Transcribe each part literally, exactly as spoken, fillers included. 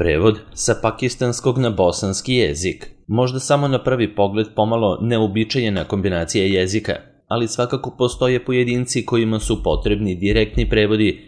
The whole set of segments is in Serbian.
Prevod sa pakistanskog na bosanski jezik. Možda samo na prvi pogled pomalo neuobičajena kombinacija jezika, ali svakako postoje pojedinci kojima su potrebni direktni prevodi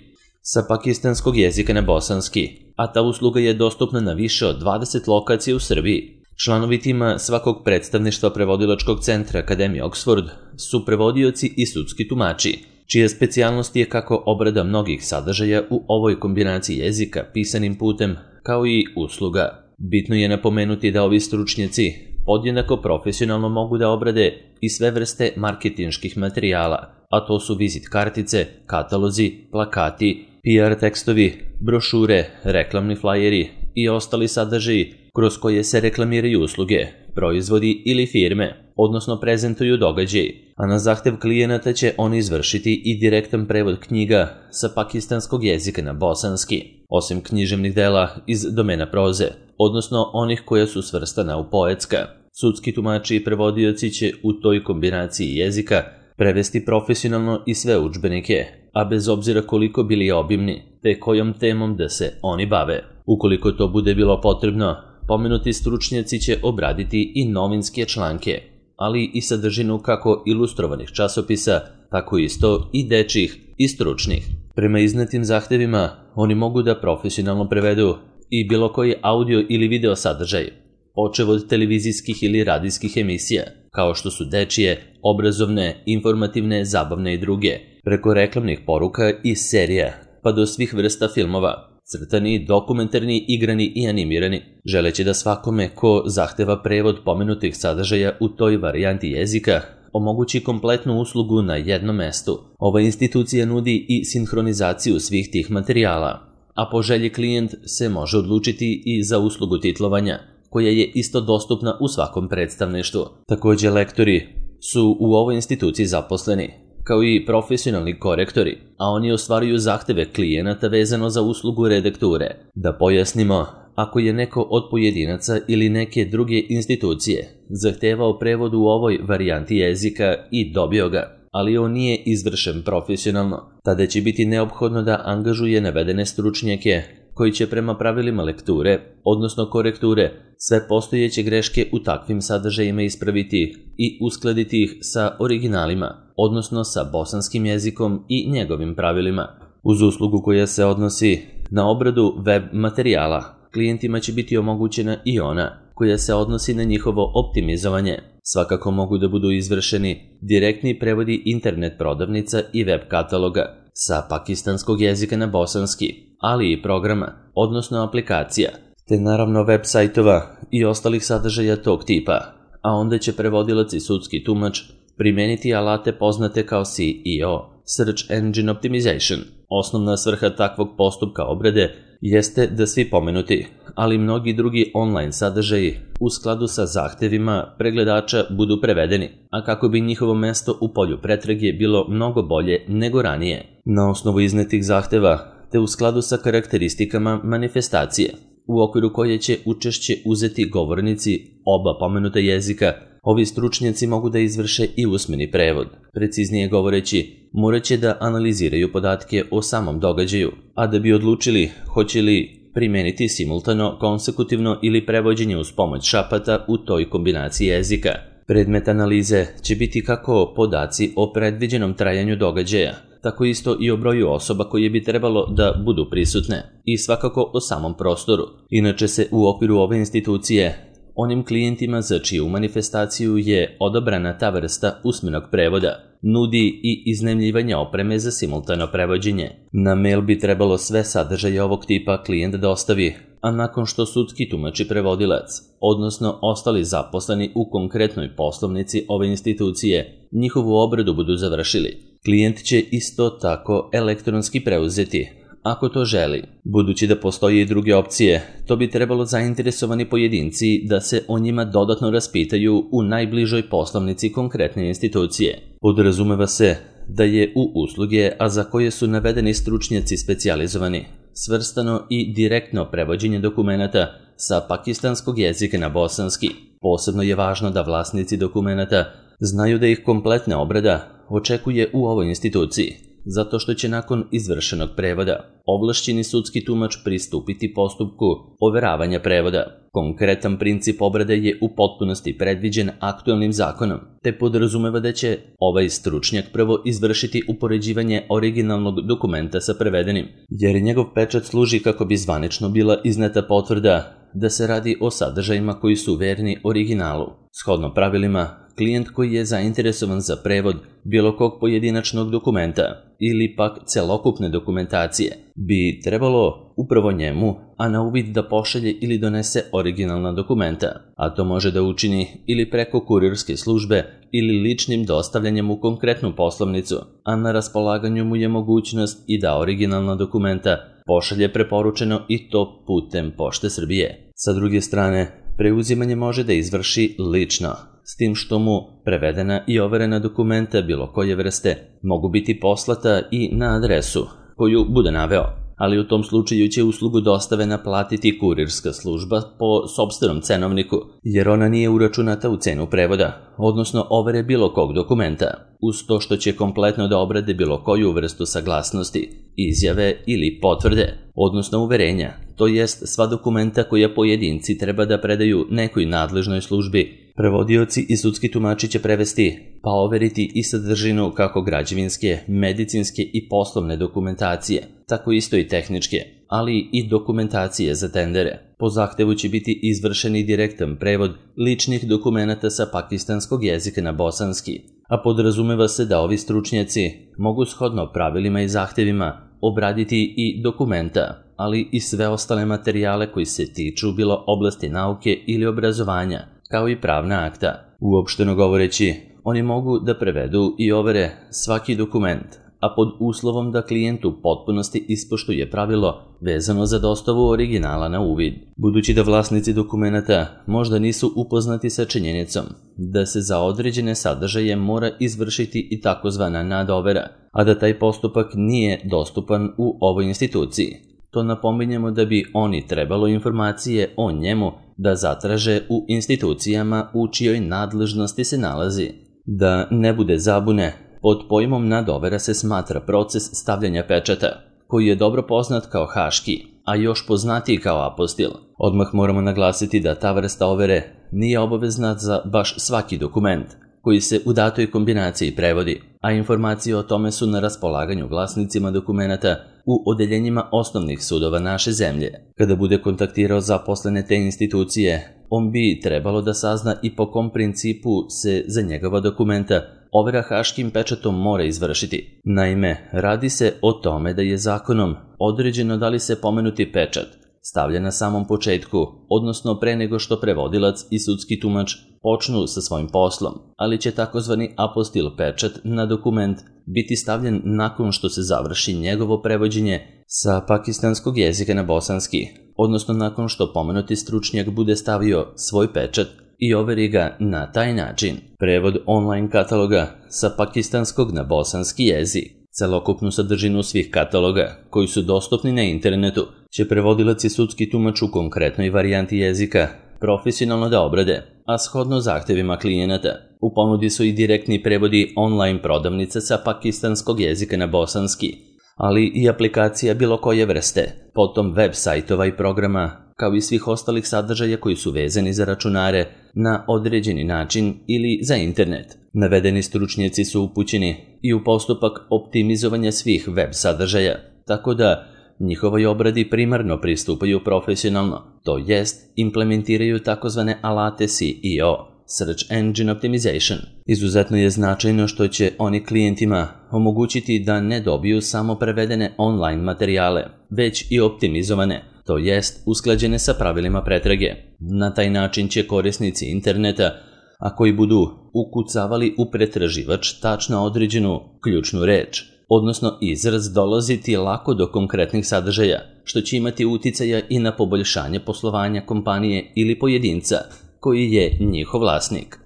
sa pakistanskog jezika na bosanski, a ta usluga je dostupna na više od dvadeset lokacija u Srbiji. Članovi tima svakog predstavništva prevodilačkog centra Akademije Oxford su prevodioci i sudski tumači, čija specijalnost je kako obrada mnogih sadržaja u ovoj kombinaciji jezika pisanim putem, kao i usluga. Bitno je napomenuti da ovi stručnjaci podjednako profesionalno mogu da obrade i sve vrste marketinških materijala, a to su vizit kartice, katalozi, plakati, P R tekstovi, brošure, reklamni flajeri i ostali sadržaji kroz koje se reklamiraju usluge, proizvodi ili firme, odnosno prezentuju događaji, a na zahtev klijenata će oni izvršiti i direktan prevod knjiga sa pakistanskog jezika na bosanski, osim književnih dela iz domena proze, odnosno onih koja su svrstana u poetska. Sudski tumači i prevodioci će u toj kombinaciji jezika prevesti profesionalno i sve udžbenike, a bez obzira koliko bili obimni, te kojom temom da se oni bave. Ukoliko to bude bilo potrebno, pomenuti stručnjaci će obraditi i novinske članke, ali i sadržinu kako ilustrovanih časopisa, tako isto i dečjih i stručnih. Prema iznetim zahtevima, oni mogu da profesionalno prevedu i bilo koji audio ili video sadržaj, počev od televizijskih ili radijskih emisija, kao što su dečije, obrazovne, informativne, zabavne i druge, preko reklamnih poruka i serija, pa do svih vrsta filmova, crtani, dokumentarni, igrani i animirani, želeći da svakome ko zahteva prevod pomenutih sadržaja u toj varijanti jezika omogući kompletnu uslugu na jednom mestu. Ova institucija nudi i sinhronizaciju svih tih materijala, a po želji klijent se može odlučiti i za uslugu titlovanja, koja je isto dostupna u svakom predstavništvu. Također lektori su u ovoj instituciji zaposleni, kao i profesionalni korektori, a oni ostvaruju zahteve klijenata vezano za uslugu redakture. Da pojasnimo, ako je neko od pojedinaca ili neke druge institucije zahtevao prevod u ovoj varijanti jezika i dobio ga, ali on nije izvršen profesionalno, tada će biti neophodno da angažuje navedene stručnjake koji će prema pravilima lekture, odnosno korekture, sve postojeće greške u takvim sadržajima ispraviti i uskladiti ih sa originalima, odnosno sa bosanskim jezikom i njegovim pravilima. Uz uslugu koja se odnosi na obradu web materijala, klijentima će biti omogućena i ona koja se odnosi na njihovo optimizovanje. Svakako mogu da budu izvršeni direktni prevodi internet prodavnica i web kataloga sa pakistanskog jezika na bosanski, ali i programa, odnosno aplikacija, te naravno web sajtova i ostalih sadržaja tog tipa, a onda će prevodilac i sudski tumač primeniti alate poznate kao S E O, Search Engine Optimization. Osnovna svrha takvog postupka obrade jeste da svi pomenuti, ali mnogi drugi online sadržaji u skladu sa zahtevima pregledača budu prevedeni, a kako bi njihovo mesto u polju pretrage bilo mnogo bolje nego ranije. Na osnovu iznetih zahteva, te u skladu sa karakteristikama manifestacije, u okviru koje će učešće uzeti govornici oba pomenuta jezika, ovi stručnjaci mogu da izvrše i usmeni prevod. Preciznije govoreći, morat će da analiziraju podatke o samom događaju, a da bi odlučili hoće li primeniti simultano, konsekutivno ili prevođenje uz pomoć šapata u toj kombinaciji jezika. Predmet analize će biti kako podaci o predviđenom trajanju događaja, tako isto i o broju osoba koje bi trebalo da budu prisutne i svakako o samom prostoru. Inače se u okviru ove institucije onim klijentima za čiju manifestaciju je odabrana ta vrsta usmenog prevoda nudi i iznajmljivanje opreme za simultano prevođenje. Na mail bi trebalo sve sadržaje ovog tipa klijent dostavi, a nakon što sudski tumač i prevodilac, odnosno ostali zaposleni u konkretnoj poslovnici ove institucije, njihovu obradu budu završili, klijent će isto tako elektronski preuzeti, ako to želi. Budući da postoje i druge opcije, to bi trebalo zainteresovani pojedinci da se o njima dodatno raspitaju u najbližoj poslovnici konkretne institucije. Podrazumeva se da je u usluge, a za koje su navedeni stručnjaci specijalizovani, svrstano i direktno prevođenje dokumenata sa pakistanskog jezika na bosanski. Posebno je važno da vlasnici dokumenata znaju da ih kompletna obrada očekuje u ovoj instituciji, zato što će nakon izvršenog prevoda ovlašćeni sudski tumač pristupiti postupku overavanja prevoda. Konkretan princip obrade je u potpunosti predviđen aktualnim zakonom, te podrazumeva da će ovaj stručnjak prvo izvršiti upoređivanje originalnog dokumenta sa prevedenim, jer njegov pečat služi kako bi zvanično bila izneta potvrda da se radi o sadržajima koji su verni originalu. Shodno pravilima, klijent koji je zainteresovan za prevod bilo kog pojedinačnog dokumenta ili pak celokupne dokumentacije bi trebalo upravo njemu, a na uvid da pošalje ili donese originalna dokumenta, a to može da učini ili preko kurirske službe ili ličnim dostavljanjem u konkretnu poslovnicu, a na raspolaganju mu je mogućnost i da originalna dokumenta pošalje preporučeno i to putem Pošte Srbije. Sa druge strane, preuzimanje može da izvrši lično, s tim što mu prevedena i overena dokumenta bilo koje vrste mogu biti poslata i na adresu koju bude naveo, ali u tom slučaju će uslugu dostave naplatiti kurirska služba po sopstvenom cenovniku, jer ona nije uračunata u cenu prevoda, odnosno overe bilo kog dokumenta, uz to što će kompletno da obrade bilo koju vrstu saglasnosti, izjave ili potvrde, odnosno uverenja, to jest sva dokumenta koja pojedinci treba da predaju nekoj nadležnoj službi. Prevodioci i sudski tumači će prevesti, pa overiti i sadržinu kako građevinske, medicinske i poslovne dokumentacije, tako isto i tehničke, ali i dokumentacije za tendere. Po zahtevu će biti izvršen i direktan prevod ličnih dokumenata sa pakistanskog jezika na bosanski, a podrazumeva se da ovi stručnjaci mogu shodno pravilima i zahtevima obraditi i dokumenta, ali i sve ostale materijale koji se tiču bilo oblasti nauke ili obrazovanja, kao i pravna akta. Uopšteno govoreći, oni mogu da prevedu i overe svaki dokument, a pod uslovom da klijent u potpunosti ispoštuje pravilo vezano za dostavu originala na uvid. Budući da vlasnici dokumenata možda nisu upoznati sa činjenicom da se za određene sadržaje mora izvršiti i takozvana nadovera, a da taj postupak nije dostupan u ovoj instituciji, to napominjemo da bi oni trebalo informacije o njemu da zatraže u institucijama u čijoj nadležnosti se nalazi. Da ne bude zabune, pod pojmom nadovera se smatra proces stavljanja pečata, koji je dobro poznat kao haški, a još poznatiji kao apostil. Odmah moramo naglasiti da ta vrsta overe nije obavezna za baš svaki dokument koji se u datoj kombinaciji prevodi, a informacije o tome su na raspolaganju vlasnicima dokumenata u odeljenjima osnovnih sudova naše zemlje. Kada bude kontaktirao zaposlene te institucije, on bi trebalo da sazna i po kom principu se za njegova dokumenta overa haškim pečatom mora izvršiti. Naime, radi se o tome da je zakonom određeno da li se pomenuti pečat stavlja na samom početku, odnosno pre nego što prevodilac i sudski tumač počnu sa svojim poslom, ali će takozvani apostil pečat na dokument biti stavljen nakon što se završi njegovo prevođenje sa pakistanskog jezika na bosanski, odnosno nakon što pomenuti stručnjak bude stavio svoj pečat i overi ga na taj način. Prevod online kataloga sa pakistanskog na bosanski jezik. Celokupnu sadržinu svih kataloga, koji su dostupni na internetu, će prevodilac i sudski tumač u konkretnoj varijanti jezika profesionalno da obrade, a shodno zahtevima klijenata. U ponudi su i direktni prevodi online prodavnice sa pakistanskog jezika na bosanski, ali i aplikacija bilo koje vrste, potom web sajtova i programa, kao i svih ostalih sadržaja koji su vezani za računare na određeni način ili za internet. Navedeni stručnjaci su upućeni i u postupak optimizovanja svih web sadržaja, tako da njihovoj obradi primarno pristupaju profesionalno, to jest implementiraju takozvane alate S E O, Search Engine Optimization. Izuzetno je značajno što će oni klijentima omogućiti da ne dobiju samo prevedene online materijale, već i optimizovane, to jest usklađene sa pravilima pretrage. Na taj način će korisnici interneta, a koji budu ukucavali u pretraživač tačno određenu ključnu reč, odnosno izraz, dolaziti lako do konkretnih sadržaja, što će imati uticaja i na poboljšanje poslovanja kompanije ili pojedinca koji je njihov vlasnik.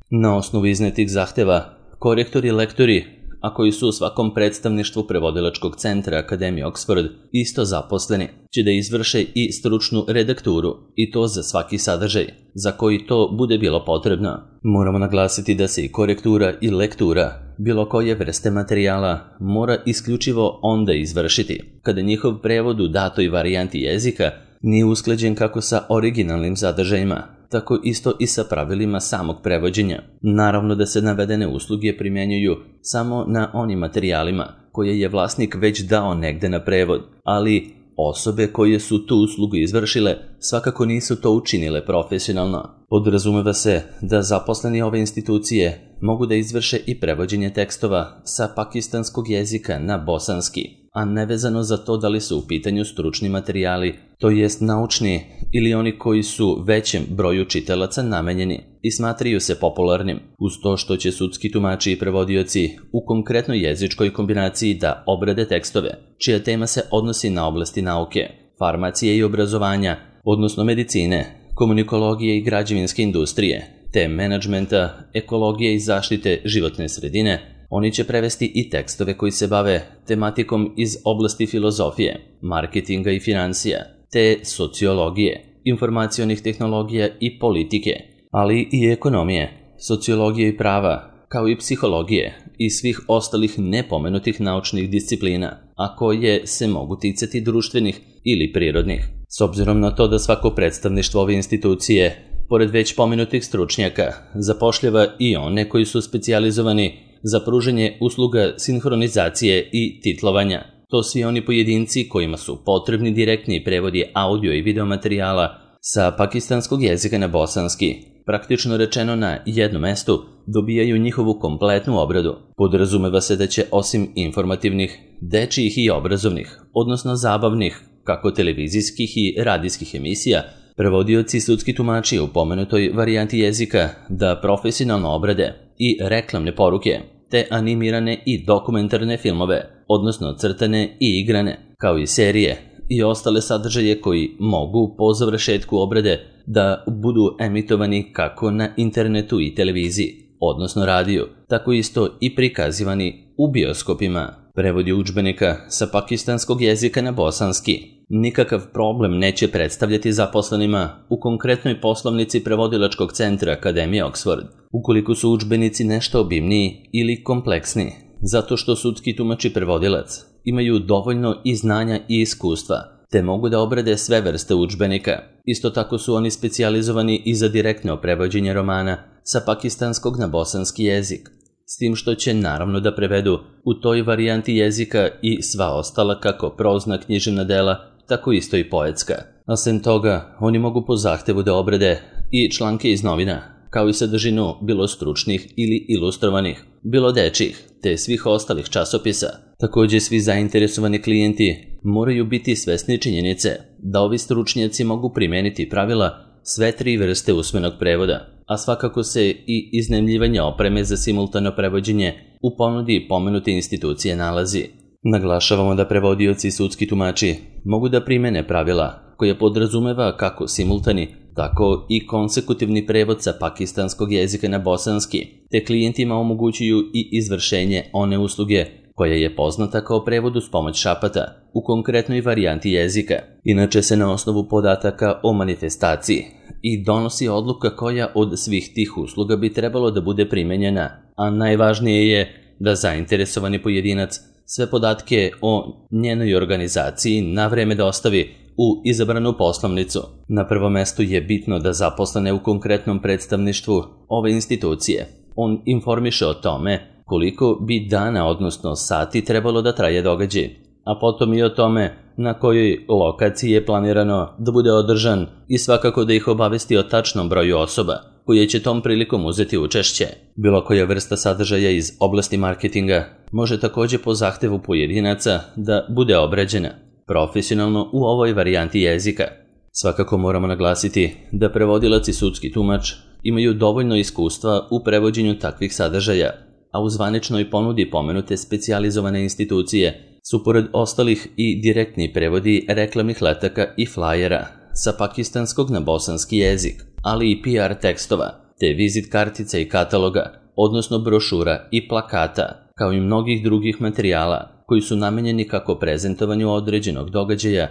Na osnovu iznetih zahteva, korektori i lektori, a koji su u svakom predstavništvu prevodilačkog centra Akademije Oxford isto zaposleni, će da izvrše i stručnu redakturu, i to za svaki sadržaj, za koji to bude bilo potrebno. Moramo naglasiti da se i korektura i lektura bilo koje vrste materijala mora isključivo onda izvršiti kada njihov prevod u datoj varijanti jezika nije usklađen kako sa originalnim sadržajima, tako isto i sa pravilima samog prevođenja. Naravno da se navedene usluge primjenjuju samo na onim materijalima koje je vlasnik već dao negde na prevod, ali osobe koje su tu uslugu izvršile svakako nisu to učinile profesionalno. Podrazumeva se da zaposleni ove institucije mogu da izvrše i prevođenje tekstova sa pakistanskog jezika na bosanski, a nevezano za to da li su u pitanju stručni materijali, to jest naučni ili oni koji su većem broju čitalaca namenjeni i smatraju se popularnim, uz to što će sudski tumači i prevodioci u konkretnoj jezičkoj kombinaciji da obrade tekstove, čija tema se odnosi na oblasti nauke, farmacije i obrazovanja, odnosno medicine, komunikologije i građevinske industrije, te menadžmenta, ekologije i zaštite životne sredine. Oni će prevesti i tekstove koji se bave tematikom iz oblasti filozofije, marketinga i financija, te sociologije, informacionih tehnologija i politike, ali i ekonomije, sociologije i prava, kao i psihologije i svih ostalih nepomenutih naučnih disciplina, a koje se mogu ticati društvenih ili prirodnih. S obzirom na to da svako predstavništvo ove institucije, pored već pomenutih stručnjaka, zapošljava i one koji su specijalizovani za pružanje usluga sinhronizacije i titlovanja. To svi oni pojedinci kojima su potrebni direktni prevodi audio i video materijala sa pakistanskog jezika na bosanski, praktično rečeno na jednom mestu, dobijaju njihovu kompletnu obradu. Podrazumeva se da će osim informativnih, dečijih i obrazovnih, odnosno zabavnih, kako televizijskih i radijskih emisija, prevodioci i sudski tumači u pomenutoj varijanti jezika da profesionalno obrade i reklamne poruke, te animirane i dokumentarne filmove, odnosno crtane i igrane, kao i serije i ostale sadržaje koji mogu po završetku obrade da budu emitovani kako na internetu i televiziji, odnosno radiju, tako isto i prikazivani u bioskopima. Prevodi udžbenika sa pakistanskog jezika na bosanski nikakav problem neće predstavljati zaposlenima u konkretnoj poslovnici prevodilačkog centra Akademije Oxford, ukoliko su udžbenici nešto obimniji ili kompleksniji, zato što sudski tumač i prevodilac imaju dovoljno i znanja i iskustva, te mogu da obrade sve vrste udžbenika. Isto tako su oni specijalizovani i za direktno prevođenje romana sa pakistanskog na bosanski jezik, s tim što će naravno da prevedu u toj varijanti jezika i sva ostala kako prozna književna dela, tako isto i poetska. A sem toga, oni mogu po zahtevu da obrade i članke iz novina, kao i sadržinu bilo stručnih ili ilustrovanih, bilo dečjih, te svih ostalih časopisa. Također svi zainteresovani klijenti moraju biti svesni činjenice da ovi stručnjaci mogu primeniti pravila sve tri vrste usmenog prevoda, a svakako se i iznajmljivanje opreme za simultano prevođenje u ponudi pomenute institucije nalazi. Naglašavamo da prevodioci i sudski tumači mogu da primene pravila koja podrazumeva kako simultani, tako i konsekutivni prevod sa pakistanskog jezika na bosanski, te klijentima omogućuju i izvršenje one usluge koja je poznata kao prevod uz pomoć šapata u konkretnoj varijanti jezika. Inače se na osnovu podataka o manifestaciji i donosi odluka koja od svih tih usluga bi trebalo da bude primenjena, a najvažnije je da zainteresovani pojedinac sve podatke o njenoj organizaciji na vreme dostavi u izabranu poslovnicu. Na prvom mestu je bitno da zaposlene u konkretnom predstavništvu ove institucije on informiše o tome koliko bi dana, odnosno sati, trebalo da traje događaj, a potom i o tome na kojoj lokaciji je planirano da bude održan i svakako da ih obavesti o tačnom broju osoba koje će tom prilikom uzeti učešće. Bilo koja vrsta sadržaja iz oblasti marketinga može također po zahtevu pojedinaca da bude obrađena profesionalno u ovoj varijanti jezika. Svakako moramo naglasiti da prevodilac i sudski tumač imaju dovoljno iskustva u prevođenju takvih sadržaja, a u zvaničnoj ponudi pomenute specijalizovane institucije su pored ostalih i direktni prevodi reklamnih letaka i flajera sa pakistanskog na bosanski jezik, ali i P R tekstova, te vizit kartica i kataloga, odnosno brošura i plakata, kao i mnogih drugih materijala koji su namenjeni kako prezentovanju određenog događaja,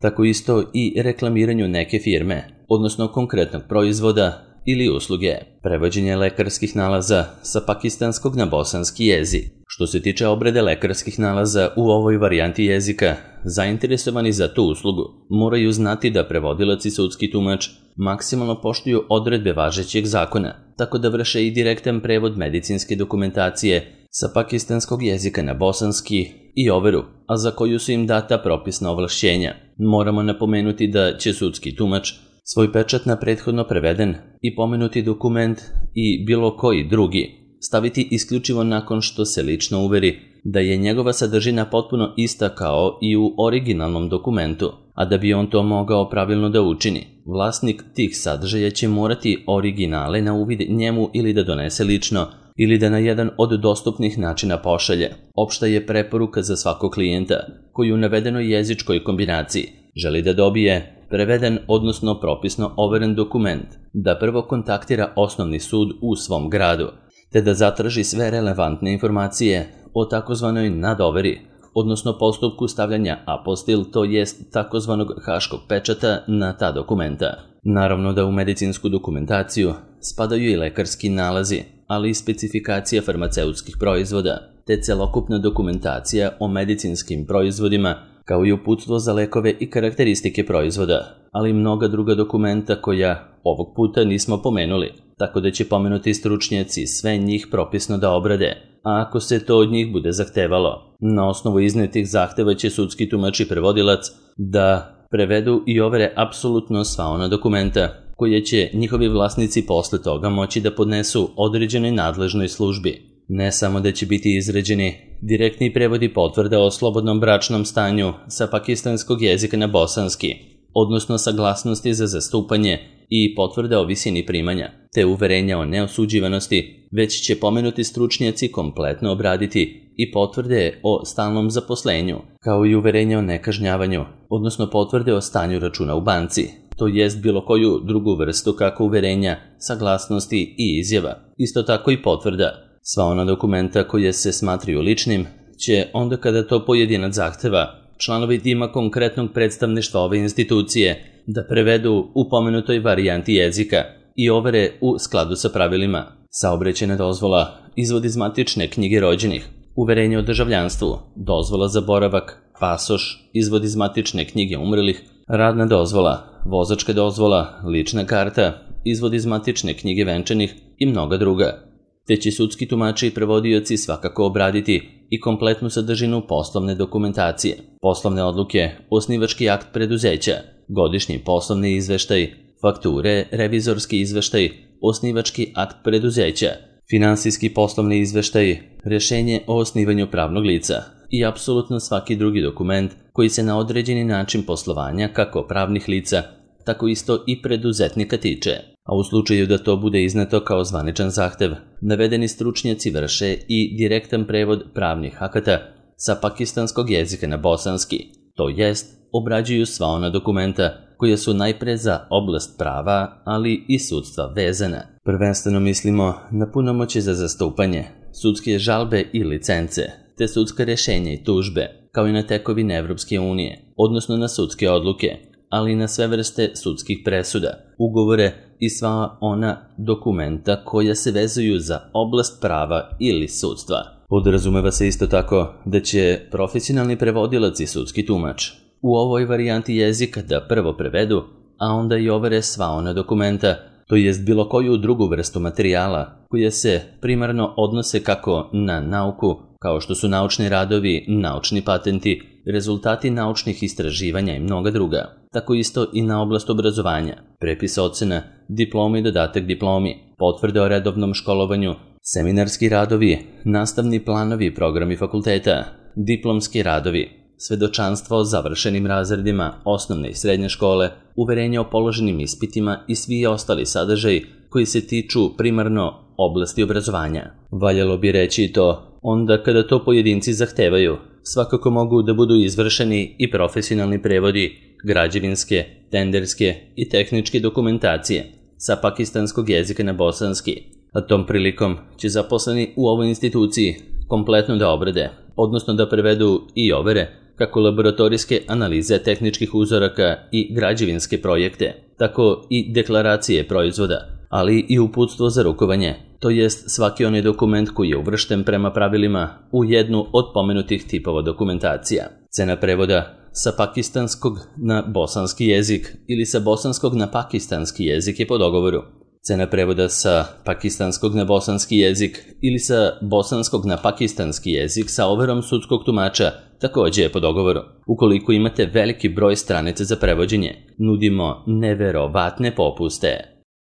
tako isto i reklamiranju neke firme, odnosno konkretnog proizvoda ili usluge, prevođenje lekarskih nalaza sa pakistanskog na bosanski jezik. Što se tiče obrade lekarskih nalaza u ovoj varijanti jezika, zainteresovani za tu uslugu moraju znati da prevodilac i sudski tumač maksimalno poštuju odredbe važećeg zakona, tako da vrše i direktan prevod medicinske dokumentacije sa pakistanskog jezika na bosanski i overu, a za koju su im data propisna ovlašćenja. Moramo napomenuti da će sudski tumač svoj pečat na prethodno preveden i pomenuti dokument i bilo koji drugi staviti isključivo nakon što se lično uveri da je njegova sadržina potpuno ista kao i u originalnom dokumentu, a da bi on to mogao pravilno da učini, vlasnik tih sadržaja će morati originale na uvid njemu ili da donese lično ili da na jedan od dostupnih načina pošalje. Opšta je preporuka za svakog klijenta koji u navedenoj jezičkoj kombinaciji želi da dobije preveden, odnosno propisno overen dokument, da prvo kontaktira osnovni sud u svom gradu, te da zatraži sve relevantne informacije o takozvanoj nadoveri, odnosno postupku stavljanja apostil, to jest takozvanog haškog pečata na ta dokumenta. Naravno da u medicinsku dokumentaciju spadaju i lekarski nalazi, ali i specifikacija farmaceutskih proizvoda, te celokupna dokumentacija o medicinskim proizvodima, kao i uputstvo za lekove i karakteristike proizvoda, ali i mnoga druga dokumenta koja ovog puta nismo pomenuli, tako da će pomenuti stručnjaci sve njih propisno da obrade, a ako se to od njih bude zahtevalo. Na osnovu iznetih zahteva će sudski tumač i prevodilac da prevedu i overe apsolutno sva ona dokumenta koje će njihovi vlasnici posle toga moći da podnesu određenoj nadležnoj službi. Ne samo da će biti izrađeni direktni prevodi potvrda o slobodnom bračnom stanju sa pakistanskog jezika na bosanski, odnosno saglasnosti za zastupanje i potvrde o visini primanja, te uverenja o neosuđivanosti, već će pomenuti stručnjaci kompletno obraditi i potvrde o stalnom zaposlenju, kao i uverenja o nekažnjavanju, odnosno potvrde o stanju računa u banci, to jest bilo koju drugu vrstu kako uverenja, saglasnosti i izjava, isto tako i potvrda. Sva ona dokumenta koje se smatraju ličnim će, onda kada to pojedinac zahteva, članovi tima konkretnog predstavništva ove institucije da prevedu u pomenutoj varijanti jezika i overe u skladu sa pravilima. Saobraćajna dozvola, izvod iz matične knjige rođenih, uverenje o državljanstvu, dozvola za boravak, pasoš, izvod iz matične knjige umrlih, radna dozvola, vozačka dozvola, lična karta, izvod iz matične knjige venčanih i mnoga druga. Te će sudski tumači i prevodioci svakako obraditi i kompletnu sadržinu poslovne dokumentacije, poslovne odluke, osnivački akt preduzeća, godišnji poslovni izveštaj, fakture, revizorski izveštaj, osnivački akt preduzeća, finansijski poslovni izveštaj, rešenje o osnivanju pravnog lica i apsolutno svaki drugi dokument koji se na određeni način poslovanja kako pravnih lica, tako isto i preduzetnika tiče. A u slučaju da to bude izneto kao zvaničan zahtev, navedeni stručnjaci vrše i direktan prevod pravnih akata sa pakistanskog jezika na bosanski, to jest obrađuju sva ona dokumenta koja su najpre za oblast prava, ali i sudstva vezana. Prvenstveno mislimo na punomoćje za zastupanje, sudske žalbe i licence, te sudska rešenja i tužbe, kao i na tekovine Evropske unije, odnosno na sudske odluke, ali i na sve vrste sudskih presuda, ugovore i sva ona dokumenta koja se vezuju za oblast prava ili sudstva. Podrazumeva se isto tako da će profesionalni prevodilac i sudski tumač u ovoj varijanti jezika da prvo prevedu, a onda i overe sva ona dokumenta, to jest bilo koju drugu vrstu materijala koje se primarno odnose kako na nauku, kao što su naučni radovi, naučni patenti, rezultati naučnih istraživanja i mnoga druga, tako isto i na oblast obrazovanja, prepis ocena, diplomi i dodatak diplomi, potvrde o redovnom školovanju, seminarski radovi, nastavni planovi i programi fakulteta, diplomski radovi, svedočanstvo o završenim razredima osnovne i srednje škole, uverenje o položenim ispitima i svi ostali sadržaji koji se tiču primarno oblasti obrazovanja. Valjalo bi reći i to, onda kada to pojedinci zahtevaju, svakako mogu da budu izvršeni i profesionalni prevodi građevinske, tenderske i tehničke dokumentacije sa pakistanskog jezika na bosanski, a tom prilikom će zaposleni u ovoj instituciji kompletno da obrade, odnosno da prevedu i overe kako laboratorijske analize tehničkih uzoraka i građevinske projekte, tako i deklaracije proizvoda, ali i uputstvo za rukovanje, to jest svaki onaj dokument koji je uvršten prema pravilima u jednu od pomenutih tipova dokumentacija. Cena prevoda sa pakistanskog na bosanski jezik ili sa bosanskog na pakistanski jezik je po dogovoru. Cena prevoda sa pakistanskog na bosanski jezik ili sa bosanskog na pakistanski jezik sa overom sudskog tumača takođe je po dogovoru. Ukoliko imate veliki broj stranica za prevođenje, nudimo neverovatne popuste.